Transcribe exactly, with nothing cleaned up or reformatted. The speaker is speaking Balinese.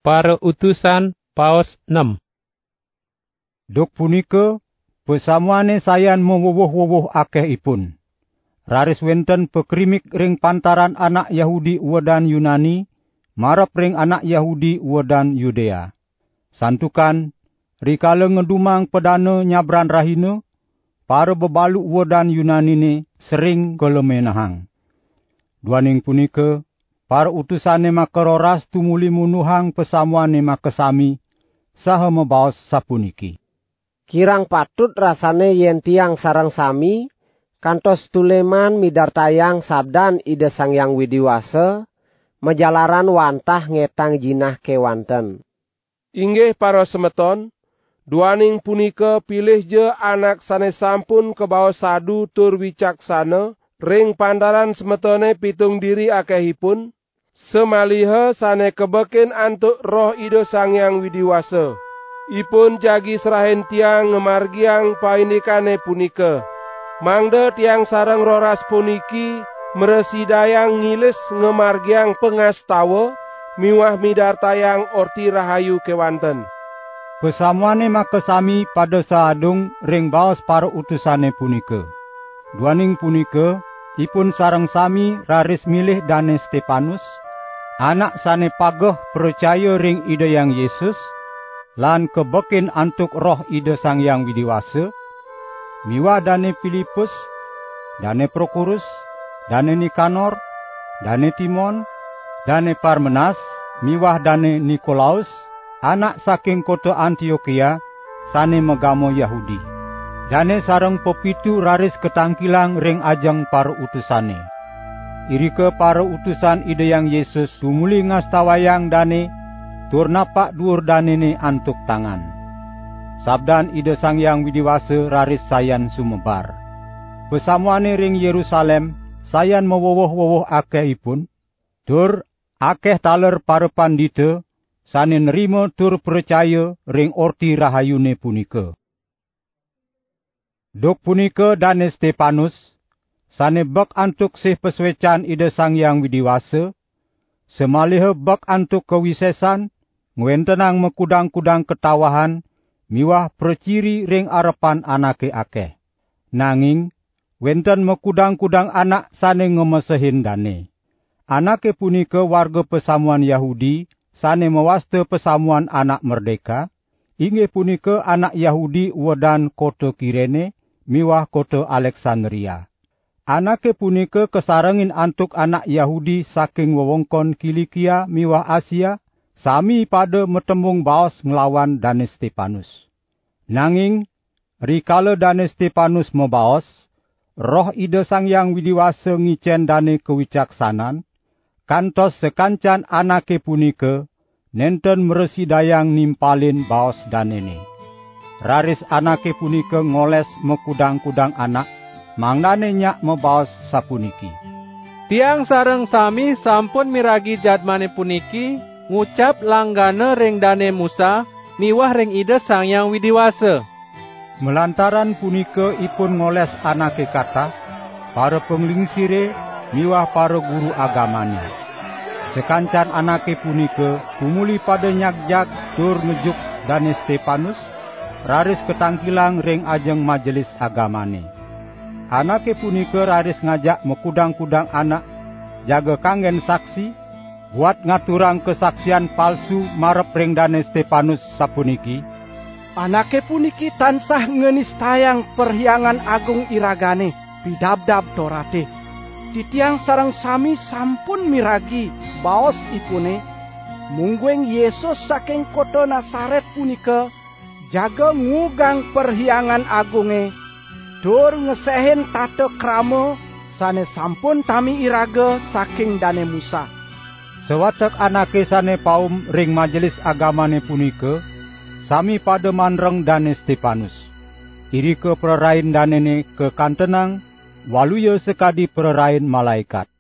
Parautusan, paos nem. Duk punika, pasamuane sayan mawuwuh-wuwuh akehipun. Raris wenten pakrimik ring pantaran anak Yahudi uwedan Yunani, marep ring anak Yahudi uwedan Yudea. Santukan, rikala ngedumang padana nyabran rahina, para bebalu uwedan Yunanine sering kalemenehang. Duaning punika, para utusane makaroras tumuli munduhang pasamuane makasami, saha mabaos sapuniki: "Kirang patut rasane yen tiang sareng sami kantos tuleman midartayang sabdan Ida Sang Hyang Widi Wasa, majalaran wantah ngetang jinah kewanten." Inggih parasemeton, duaning punika pilihja anak sane sampun kabaos sadu tur wicaksana ring pantaran semetone pitung diri akehipun, samaliha sane kabekin antuk Roh Ida Sang Hyang Widi Wasa. Ipun jagi serahin tiang ngamargiang paindikane punika, mangda tiang sareng roras puniki mrasidayang ngilis ngamargiang pangastawa miwah midartayang Orti Rahayu kewanten. Pasamuane makasami pada saadung ring baos parautusane punika. Duaning punika, ipun sareng sami raris milih Dane Stepanus, anak sane pageh pracaya ring Ida Hyang Yesus, lan kabekin antuk Roh Ida Sang Hyang Widi Wasa, miwah Dane Pilipus, Dane Prokorus, Dane Nikanor, Dane Timon, Dane Parmenas, miwah Dane Nikolaus, anak saking kota Antiokia, sane magama Yahudi. Dane sareng pepitu raris katangkilang ring ajeng parautusane. Irika parautusan Ida Hyang Yesus tumuli ngastawayang dane, tur napak duur danene antuk tangan. Sabdan Ida Sang Hyang Widi Wasa raris sayan sumebar. Pasamuane ring Yerusalem sayan mawuwuh-wuwuh akehipun, tur akeh taler parapandita sane nrima tur pracaya ring Orti Rahayune punika. Duk punika Dane Stepanus, sane bek antuk sih pasuecan Ida Sang Hyang Widi Wasa, samaliha bek antuk kawisesan, ngwentenang makudang-kudang katawahan miwah praciri ring arepan anake akeh. Nanging wenten makudang-kudang anak sane ngamesehin dane. Anake punika warga pasamuan Yahudi sane mawasta Pasamuan Anak Merdeka, inggih punika anak Yahudi uwedan kota Kirene miwah kota Aleksandria. Anake punika kasarengin antuk anak Yahudi saking wewengkon Kilikia miwah Asia, sami pada matembung baos nglawan Dane Stepanus. Nanging rikala Dane Stepanus mabaos, Roh Ida Sang Hyang Widi Wasa ngicen dane kawicaksanan, kantos sakancan anake punika nenten mrasidayang nimpalin baos danene. Raris anake punika ngoles makudang-kudang anak, mangdane nyak mabaos sapuniki: "Tiang sareng sami sampun miragi jadmane puniki ngucap langgana ring Dane Musa miwah ring Ida Sang Hyang Widi Wasa." Malantaran punika ipun ngoles anake katah, parapanglingsire miwah paraguru agamane. Sakancan anake punika tumuli pada nyagjag tur ngejuk Dane Stepanus, raris katangkilang ring ajeng majelis agamane. Anake punika raris ngajak makudang-kudang anak jaga kanggen saksi, buat ngaturang kasaksian palsu marep ring Dane Stepanus, sapuniki: "Anake puniki tansah nganistayang Perhyangan Agung iragane, Pidabdab Torate. Titiang sareng sami sampun miragi baosipune, mungguing Yesus saking kota Nasaret punika jaga ngugang Perhyangan Agunge, tur ngesehin tata krama sane sampun tami iraga saking Dane Musa." Sawatek anake sane paum ring majelis agamane punika sami pada mandreng Dane Stepanus. Irika prarain danene kakantenang, waluya sakadi prarain malaekat.